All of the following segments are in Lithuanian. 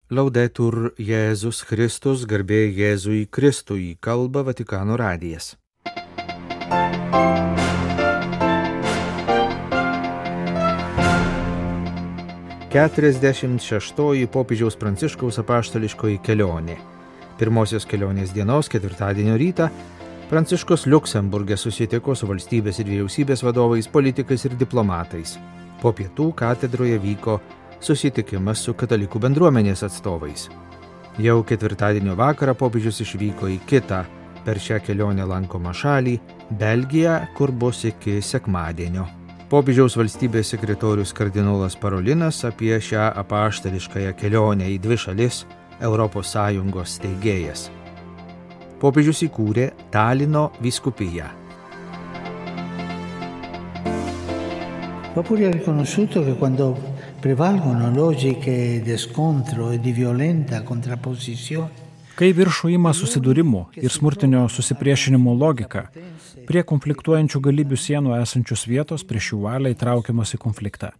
Laudetur Jėzus Kristus, garbė Jėzui Kristui, kalba Vatikano radijas. Keturiasdešimt šeštoji popiežiaus Pranciškaus apaštališkoji kelionė. Pirmosios kelionės dienos, ketvirtadienio rytą, Pranciškus Liuksemburge susitiko su valstybės ir vyriausybės vadovais, politikais ir diplomatais. Po pietų katedroje vyko susitikimas su katalikų bendruomenės atstovais. Jau ketvirtadienio vakarą popiežius išvyko į kitą per šią kelionę lankomą šalį, Belgiją, kur bus iki sekmadienio. Popiežiaus valstybės sekretorius kardinolas Parolinas apie šią apaštališkąją kelionę į dvi šalis ES steigėjas. Popiežius įkūrė Talino vyskupiją. Va pure riconosciuto che quando prevalgono logiche di scontro e di violenta contrapposizione. Kai viršų ima susidūrimų ir smurtinio susipriešinimo logika, prie konfliktuojančių galybių sienų esančios vietos prieš jų valią įtraukiamos į konfliktą.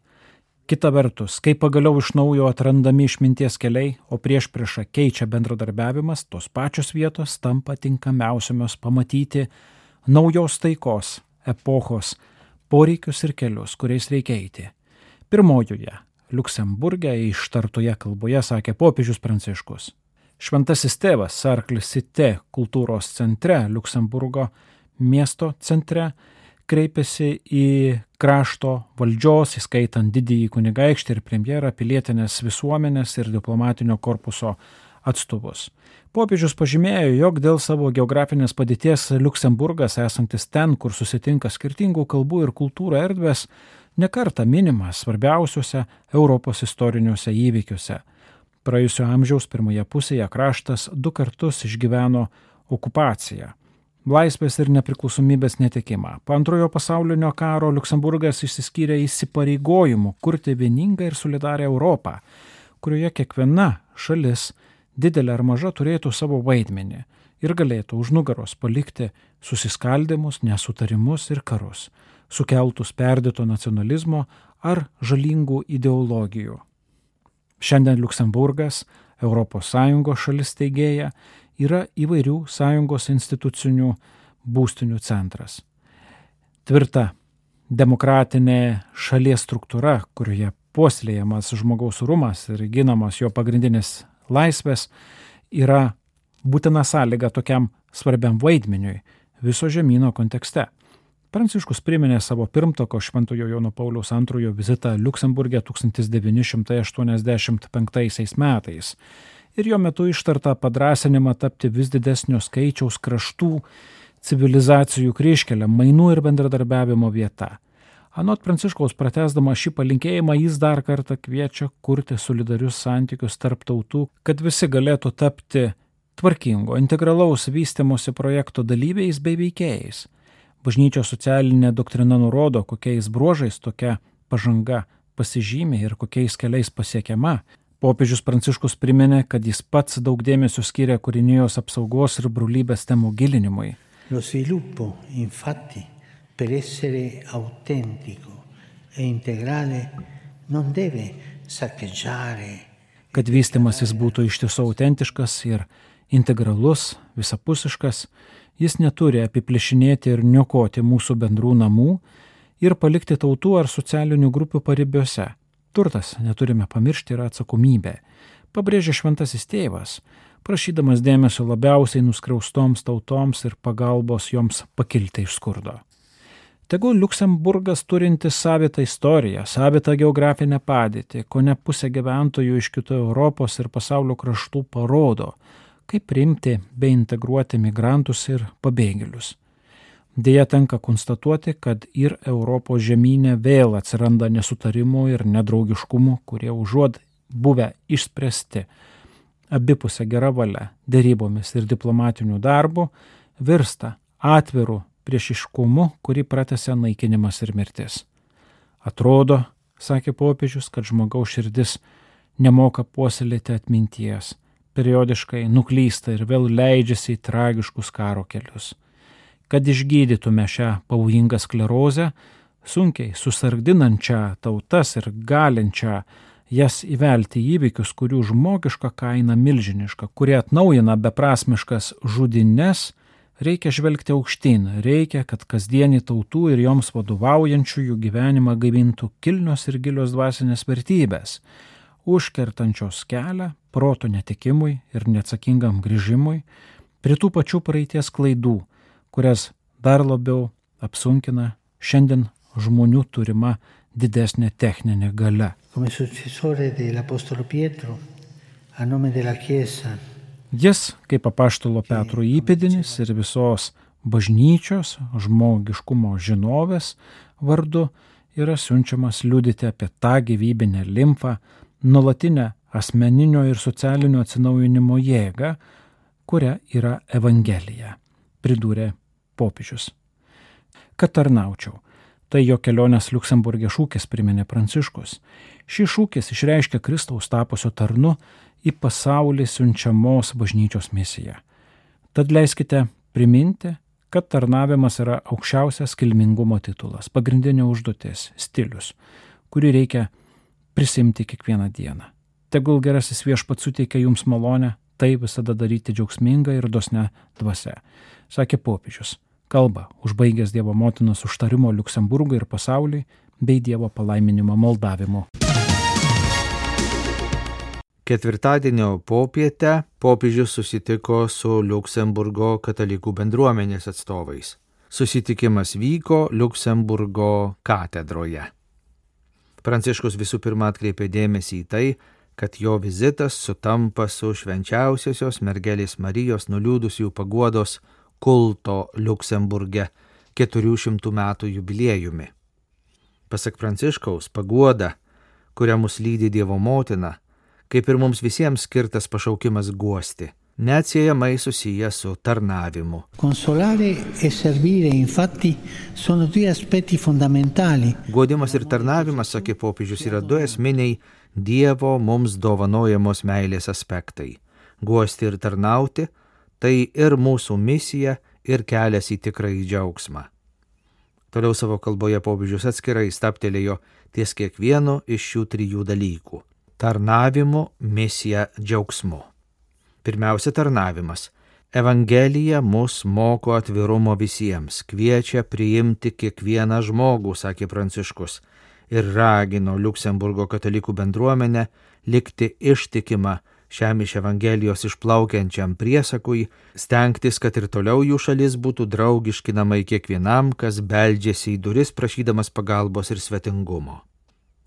Kita vertus, kai pagaliau iš naujo atrandami išminties keliai, o priešpriešą keičia bendradarbiavimas, tos pačios vietos tampa tinkamiausiomis pamatyti naujos taikos, epochos, poreikius ir kelius, kuriais reikia eiti. Pirmojoje, Liuksemburge ištartoje kalboje sakė popiežius Pranciškus. Šventasis tėvas Sarklisite kultūros centre, Liuksemburgo miesto centre, kreipėsi į krašto valdžios, įskaitant didįjį kunigaikštį ir premjerą, pilietinės visuomenės ir diplomatinio korpuso atstovus. Popiežius pažymėjo, jog dėl savo geografinės padėties Liuksemburgas, esantis ten, kur susitinka skirtingų kalbų ir kultūrų erdvės, nekartą minimas svarbiausiuose Europos istoriniuose įvykiuose. Praėjusio amžiaus pirmoje pusėje kraštas 2 kartus išgyveno okupaciją, laisvės ir nepriklausomybės netekimą. Po Antrojo pasaulinio karo Liuksemburgas išsiskyrė įsipareigojimu kurti vieningą ir solidarią Europą, kurioje kiekviena šalis, didelė ar maža, turėtų savo vaidmenį ir galėtų už nugaros palikti susiskaldimus, nesutarimus ir karus, sukeltus perdėto nacionalizmo ar žalingų ideologijų. Šiandien Liuksemburgas, ES šalis steigėja, yra įvairių sąjungos institucinių būstinių centras. Tvirta demokratinė šalies struktūra, kurioje puoselėjamas žmogaus orumas ir ginamas jo pagrindinės laisvės, yra būtina sąlyga tokiam svarbiam vaidmeniui viso žemyno kontekste. Pranciškus priminė savo pirmtako Šventojo Jono Pauliaus II vizitą Liuksemburge 1985 metais ir jo metu ištartą padrąsinimą tapti vis didesnio skaičiaus kraštų civilizacijų kryžkelė, mainų ir bendradarbiavimo vieta. Anot Pranciškaus pratęsdama šį palinkėjimą, jis dar kartą kviečia kurti solidarius santykius tarp tautų, kad visi galėtų tapti tvarkingo, integralaus vystymosi projekto dalyviais bei veikėjais. Bažnyčios socialinė doktrina nurodo, kokiais bruožais tokia pažanga pasižymė ir kokiais keliais pasiekiama. Popiežius Pranciškus priminė, kad jis pats daug dėmesio skiria kūrinijos apsaugos ir brolybės temų gilinimui. Lo sviluppo, infatti, per essere autentico e integrale, non deve saccheggiare. Kad vystymasis būtų iš tiesų autentiškas ir integralus, visapusiškas, jis neturi apiplėšinėti ir niokoti mūsų bendrų namų ir palikti tautų ar socialinių grupių paribiuose. Turtas, neturime pamiršti, yra atsakomybė, pabrėžė šventasis tėvas, prašydamas dėmesio labiausiai nuskriaustoms tautoms ir pagalbos joms pakilti iš skurdo. Tegul Liuksemburgas turintis savitą istoriją, savitą geografinę padėtį, kone pusė gyventojų iš kitų Europos ir pasaulio kraštų parodo, kaip priimti bei integruoti migrantus ir pabėgėlius. Deja tenka konstatuoti, kad ir Europos žemyne vėl atsiranda nesutarimų ir nedraugiškumų, kurie užuot buvę išspręsti abipusę gerą valią, derybomis ir diplomatiniu darbu, virsta atviru priešiškumu, kurį pratęsia naikinimas ir mirtis. Atrodo, sakė popiežius, kad žmogaus širdis nemoka puoselėti atminties, periodiškai nuklysta ir vėl leidžiasi į tragiškus karo kelius. Kad išgydytume šią pavojingą sklerozę, sunkiai susargdinančią tautas ir galinčią jas įvelti į įvykius, kurių žmogiška kaina milžiniška, kurie atnaujina beprasmiškas žudines, reikia žvelgti aukštyn, reikia, kad kasdienį tautų ir joms vadovaujančiųjų gyvenimą gaivintų kilnios ir gilios dvasinės vertybės, užkertančios kelią proto netikimui ir neatsakingam grįžimui prie tų pačių praeities klaidų, kurias dar labiau apsunkina šiandien žmonių turima didesnė techninė galia. Come successore dell'Apostolo Pietro, a nome della Chiesa, Jis, kaip apaštalo Petro įpėdinis ir visos bažnyčios žmogiškumo žinovės vardu, yra siunčiamas liudyti apie tą gyvybinę limfą, nuolatinę asmeninio ir socialinio atsinaujinimo jėgą, kuria yra Evangelija, pridūrė popiežius. Kad tarnaučiau. Tai jo kelionės Liuksemburge šūkis, priminė Pranciškus. Šis šūkis išreiškia Kristaus tapusio tarnu į pasaulį siunčiamos bažnyčios misiją. Tad leiskite priminti, kad tarnavimas yra aukščiausias kilmingumo titulas, pagrindinė užduotis, stilius, kurį reikia prisimti kiekvieną dieną. Tegul gerasis Viešpats suteikia jums malonę, tai visada daryti džiaugsmingą ir dosne dvasia, sakė popiežius. Kalba, užbaigęs Dievo motinos užtarimo Liuksemburgui ir pasauliui, bei Dievo palaiminimo maldavimu. Ketvirtadienio popietę popiežius susitiko su Liuksemburgo katalikų bendruomenės atstovais. Susitikimas vyko Liuksemburgo katedroje. Pranciškus visų pirma atkreipė dėmesį į tai, kad jo vizitas sutampa su švenčiausiosios mergelės Marijos nuliūdusiųjų paguodos kulto Liuksemburge 400 metų jubiliejumi. Pasak Pranciškaus, paguoda, kuria mus lydi Dievo motina, kaip ir mums visiems skirtas pašaukimas guosti, neatsiejamai susiję su tarnavimu. Consolare e servire, infatti, sono due aspetti fondamentali. Guodimas ir tarnavimas, sakė popiežius, yra du esminiai Dievo mums dovanojamos meilės aspektai. Guosti ir tarnauti – tai ir mūsų misija, ir kelias į tikrąjį džiaugsmą. Toliau savo kalboje popiežius atskirai stabtelėjo ties kiekvienu iš šių trijų dalykų – tarnavimu, misija, džiaugsmu. Pirmiausia, tarnavimas. Evangelija mus moko atvirumo visiems, kviečia priimti kiekvieną žmogų, sakė Pranciškus, ir ragino Liuksemburgo katalikų bendruomenę likti ištikimą šiam iš Evangelijos išplaukiančiam priesakui, stengtis, kad ir toliau jų šalis būtų draugiški namai kiekvienam, kas beldžiasi į duris prašydamas pagalbos ir svetingumo.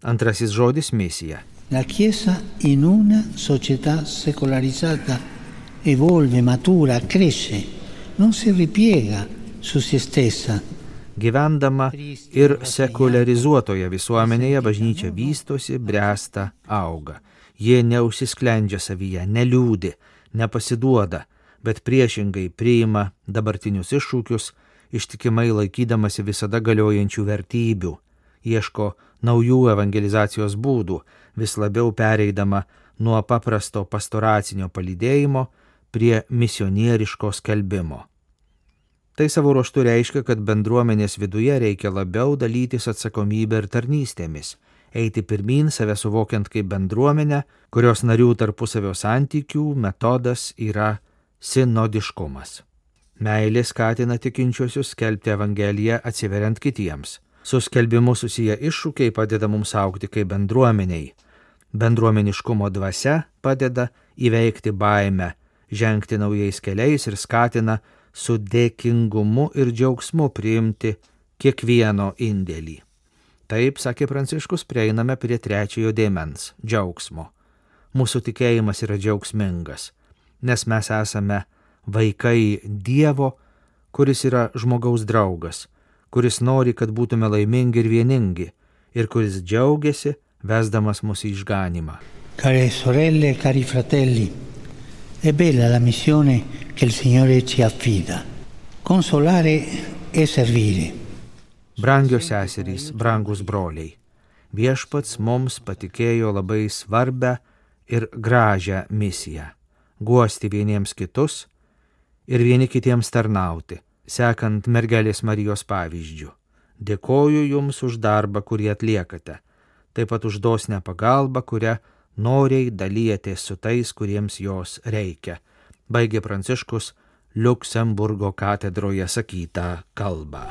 Antrasis žodis – misija. La Chiesa in una società secolarizzata evolve, matura, cresce, non si ripiega su se stessa. Gyvendama ir sekularizuotoje visuomenėje bažnyčia vystosi, bręsta, auga. Jie neužsisklendžia savyje, neliūdi, nepasiduoda, bet priešingai priima dabartinius iššūkius, ištikimai laikydamasi visada galiojančių vertybių, ieško naujų evangelizacijos būdų, vis labiau pereidama nuo paprasto pastoracinio palydėjimo prie misionieriško skelbimo. Tai savo ruožtu reiškia, kad bendruomenės viduje reikia labiau dalytis atsakomybę ir tarnystėmis, eiti pirmyn, save suvokiant kaip bendruomenę, kurios narių tarpusavio santykių metodas yra sinodiškumas. Meilė skatina tikinčiuosius skelbti Evangeliją atsiveriant kitiems. Su skelbimu susiję iššūkiai padeda mums augti kaip bendruomeniai. Bendruomeniškumo dvasia padeda įveikti baimę, žengti naujais keliais ir skatina su dėkingumu ir džiaugsmu priimti kiekvieno indėlį. Taip, sakė Pranciškus, prieiname prie trečiojo dėmens – džiaugsmo. Mūsų tikėjimas yra džiaugsmingas, nes mes esame vaikai Dievo, kuris yra žmogaus draugas, kuris nori, kad būtume laimingi ir vieningi, ir kuris džiaugiasi, vesdamas mus į išganymą. Care sorelle, cari fratelli, è bella la missione che il Signore ci affida. Consolare e servire. Brangios seserys, brangus broliai, Viešpats mums patikėjo labai svarbę ir gražią misiją – guosti vieniems kitus ir vieni kitiems tarnauti, sekant mergelės Marijos pavyzdžiu. Dėkoju jums už darbą, kurį atliekate. taip pat už dosnę pagalbą, kurią noriai dalyjatės su tais, kuriems jos reikia. Baigė Pranciškus Liuksemburgo katedroje sakytą kalbą.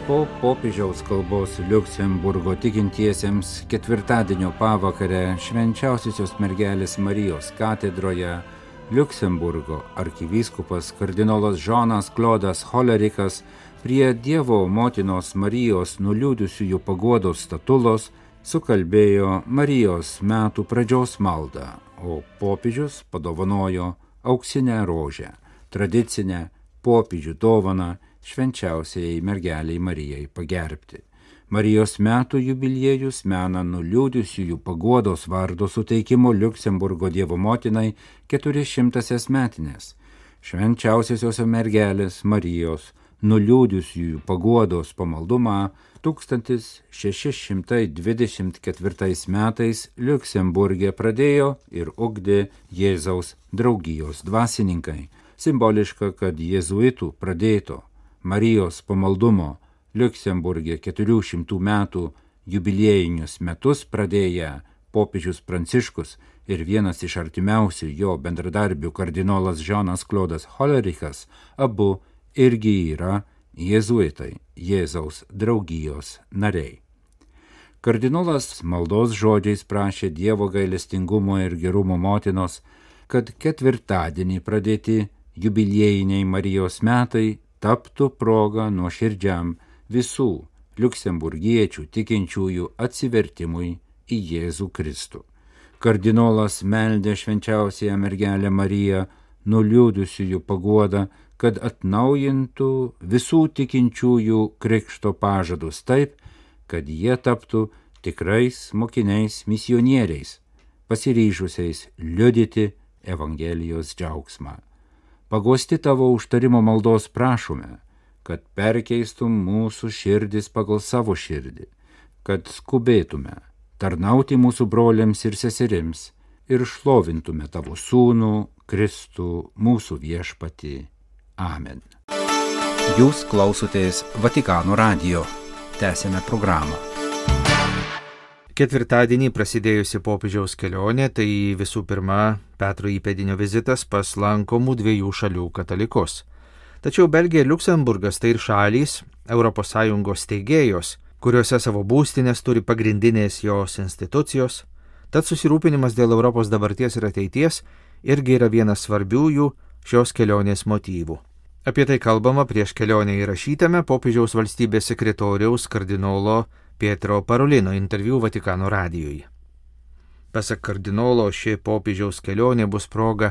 Po popiežiaus kalbos Liuksemburgo tikintiesiems ketvirtadienio pavakarę Švenčiausiosios mergelės Marijos katedroje Liuksemburgo arkivyskupas kardinolas Žanas Klodas Holerikas prie Dievo motinos Marijos nuliūdusiųjų paguodos statulos sukalbėjo Marijos metų pradžios maldą, o popiežius padovanojo auksinę rožę, tradicinę popiežių dovaną švenčiausiai mergeliai Marijai pagerbti. Marijos metų jubiliejus mena nuliūdusiųjų paguodos vardo suteikimo Liuksemburgo Dievo motinai 400 metinės. Švenčiausiosios mergelės Marijos nuliūdusiųjų paguodos pamaldumą 1624 metais Liuksemburge pradėjo ir ugdė Jėzaus draugijos dvasininkai. Simboliška, kad jėzuitų pradėto Marijos pamaldumo Liuksemburge 400 metų jubiliejinius metus pradėję popiežius Pranciškus ir vienas iš artimiausių jo bendradarbių kardinolas Žanas Klodas Holerikas abu irgi yra jėzuitai, Jėzaus draugijos nariai. Kardinolas maldos žodžiais prašė Dievo gailestingumo ir gerumo motinos, kad ketvirtadienį pradėti jubiliejiniai Marijos metai taptų proga nuoširdžiam visų liuksemburgiečių tikinčiųjų atsivertimui į Jėzų Kristų. Kardinolas meldė švenčiausiąją mergelę Mariją nuliūdusiųjų paguodą, kad atnaujintų visų tikinčiųjų krikšto pažadus taip, kad jie taptų tikrais mokiniais misionieriais, pasiryžusiais liudyti Evangelijos džiaugsmą. Paguosti tavo užtarimo maldos prašome, kad perkeistum mūsų širdis pagal savo širdį, kad skubėtume tarnauti mūsų broliams ir seserims ir šlovintume tavo sūnų Kristų mūsų viešpatį. Amen. Jūs klausotės Vatikano radijo. Tęsiame programą. Ketvirtadienį prasidėjusi popiežiaus kelionė tai visų pirma Petro įpėdinio vizitas pas lankomų dviejų šalių katalikus. Tačiau Belgija ir Liuksemburgas tai ir šalys ES steigėjos, kuriuose savo būstinės turi pagrindinės jos institucijos, tad susirūpinimas dėl Europos dabarties ir ateities irgi yra vienas svarbiųjų šios kelionės motyvų. Apie tai kalbama prieš kelionę įrašytame popiežiaus valstybės sekretoriaus kardinolo Pietro Parolino interviu Vatikano radijui. Pasak kardinolo, ši popiežiaus kelionė bus proga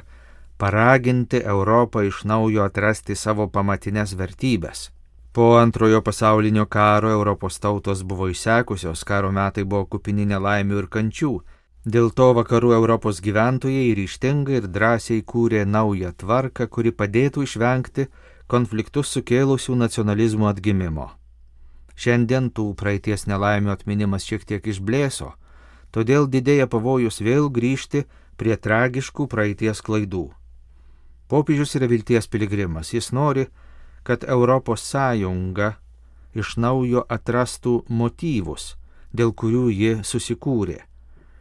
paraginti Europą iš naujo atrasti savo pamatinės vertybės. Po antrojo pasaulinio karo Europos tautos buvo išsekusios, karo metai buvo kupini nelaimių ir kančių. Dėl to vakarų Europos gyventojai ryžtingai ir drąsiai kūrė naują tvarką, kuri padėtų išvengti konfliktus sukėlusių nacionalizmų atgimimo. Šiandien tų praeities nelaimių atminimas šiek tiek išblėso, todėl didėja pavojus vėl grįžti prie tragiškų praeities klaidų. Popiežius yra vilties piligrimas, jis nori, kad Europos Sąjunga iš naujo atrastų motyvus, dėl kurių ji susikūrė,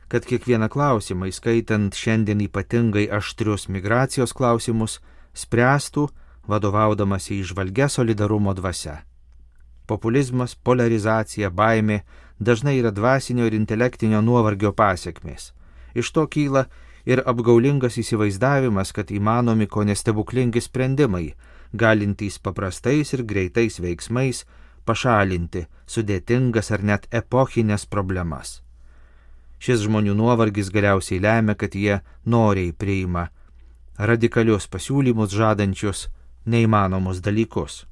kad kiekvieną klausimą, įskaitant šiandien ypatingai aštrius migracijos klausimus, spręstų vadovaudamas į įžvalgią solidarumo dvasią. Populizmas, polarizacija, baimė dažnai yra dvasinio ir intelektinio nuovargio pasekmės. Iš to kyla ir apgaulingas įsivaizdavimas, kad įmanomi kone stebuklingi sprendimai, galintys paprastais ir greitais veiksmais pašalinti sudėtingas ar net epochinės problemas. Šis žmonių nuovargis galiausiai lemia, kad jie noriai priima radikalius pasiūlymus žadančius neįmanomus dalykus.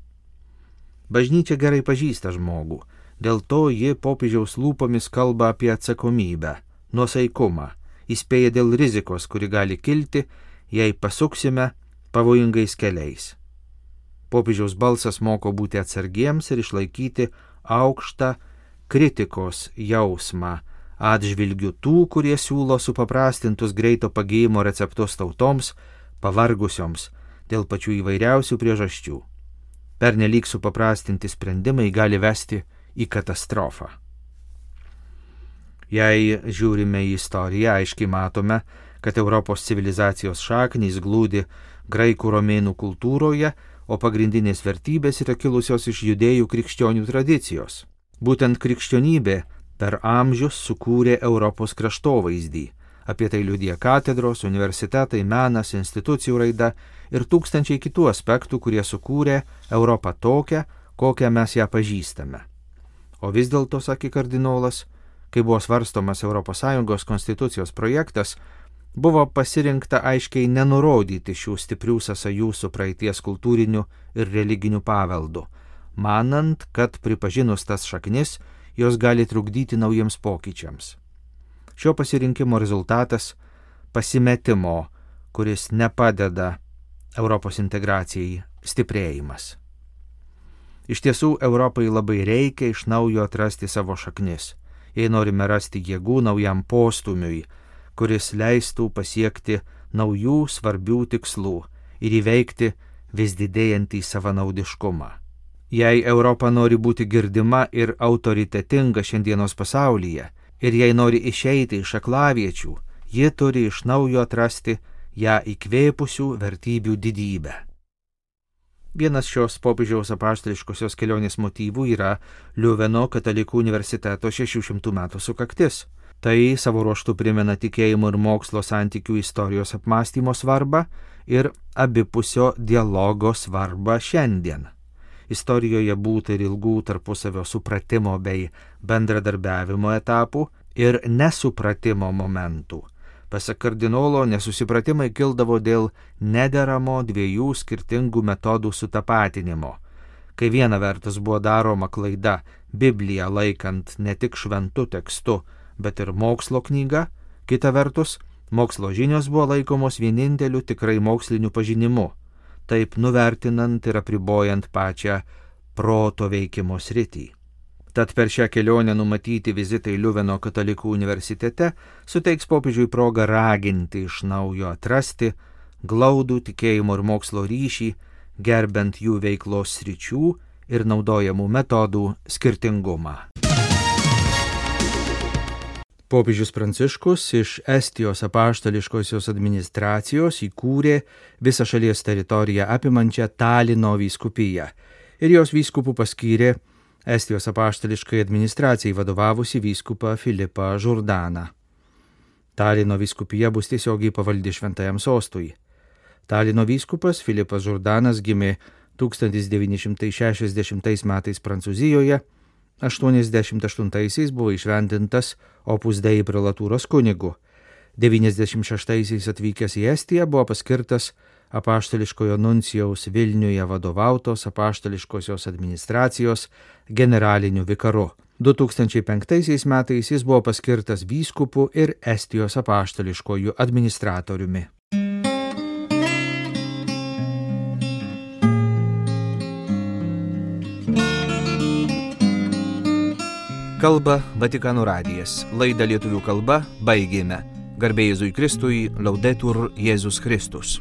Bažnyčia gerai pažįsta žmogų, dėl to ji popiežiaus lūpomis kalba apie atsakomybę, nuosaikumą, įspėja dėl rizikos, kuri gali kilti, jei pasuksime pavojingais keliais. Popiežiaus balsas moko būti atsargiems ir išlaikyti aukštą kritikos jausmą atžvilgiu tų, kurie siūlo supaprastintus greito pagijimo receptus tautoms, pavargusioms dėl pačių įvairiausių priežasčių. Pernelyg supaprastinti sprendimai gali vesti į katastrofą. Jei žiūrime į istoriją, aiškiai matome, kad Europos civilizacijos šaknys glūdi graikų romėnų kultūroje, o pagrindinės vertybės yra kilusios iš judėjų krikščionių tradicijos. Būtent krikščionybė per amžius sukūrė Europos kraštovaizdį. Apie tai liudija katedros, universitetai, menas, institucijų raida ir tūkstančiai kitų aspektų, kurie sukūrė Europą tokią, kokią mes ją pažįstame. O vis dėlto, sakė kardinolas, kai buvo svarstomas ES konstitucijos projektas, buvo pasirinkta aiškiai nenurodyti šių stiprių sąsajų su praeities kultūriniu ir religiniu paveldu, manant, kad pripažinus tas šaknis, jos gali trukdyti naujiems pokyčiams. Šio pasirinkimo rezultatas – pasimetimo, kuris nepadeda Europos integracijai, stiprėjimas. Iš tiesų, Europai labai reikia iš naujo atrasti savo šaknis, jei norime rasti jėgų naujam postumiui, kuris leistų pasiekti naujų svarbių tikslų ir įveikti vis didėjantį savanaudiškumą. Jei Europa nori būti girdima ir autoritetinga šiandienos pasaulyje, ir jei nori išeiti iš aklaviečių, ji turi iš naujo atrasti ją įkvėpusių vertybių didybę. Vienas šios popiežiaus apaštališkosios kelionės motyvų yra Liuveno katalikų universiteto 600 metų sukaktis. Tai savo ruožtu primena tikėjimo ir mokslo santykių istorijos apmąstymo svarbą ir abipusio dialogo svarbą šiandien. Istorijoje būta ir ilgų tarpusavio supratimo bei bendradarbiavimo etapų ir nesupratimo momentų. Pasak kardinolo, nesusipratimai kildavo dėl nederamo dviejų skirtingų metodų sutapatinimo. Kai viena vertus buvo daroma klaida Bibliją laikant ne tik šventu tekstu, bet ir mokslo knyga, kita vertus, mokslo žinios buvo laikomos vieninteliu tikrai moksliniu pažinimu, taip nuvertinant ir apribojant pačią proto veikimo sritį. Tad per šią kelionę numatyti vizitai Liuveno katalikų universitete suteiks popiežiui progą raginti iš naujo atrasti glaudų tikėjimo ir mokslo ryšį, gerbent jų veiklos sričių ir naudojamų metodų skirtingumą. Popiežius Pranciškus iš Estijos apaštališkosios administracijos įkūrė visą šalies teritoriją apimančią Talino vyskupiją ir jos vyskupų paskyrė Estijos apaštališkai administracijai vadovavusi vyskupą Filipą Žurdaną. Talino vyskupija bus tiesiogiai pavaldi šventajam sostui. Talino vyskupas Filipas Žurdanas gimė 1960 metais Prancūzijoje, 88-aisiais buvo įšventintas Opus Dei prelatūros kunigu. 96-aisiais atvykęs į Estiją buvo paskirtas apaštališkojo nuncijaus Vilniuje vadovautos apaštališkosios administracijos generaliniu vikaru. 2005 metais jis buvo paskirtas vyskupu ir Estijos apaštališkoju administratoriumi. Kalba Vatikano radijas. Laidą lietuvių kalba baigėme. Garbė Jėzui Kristui, Laudetur Jėzus Kristus.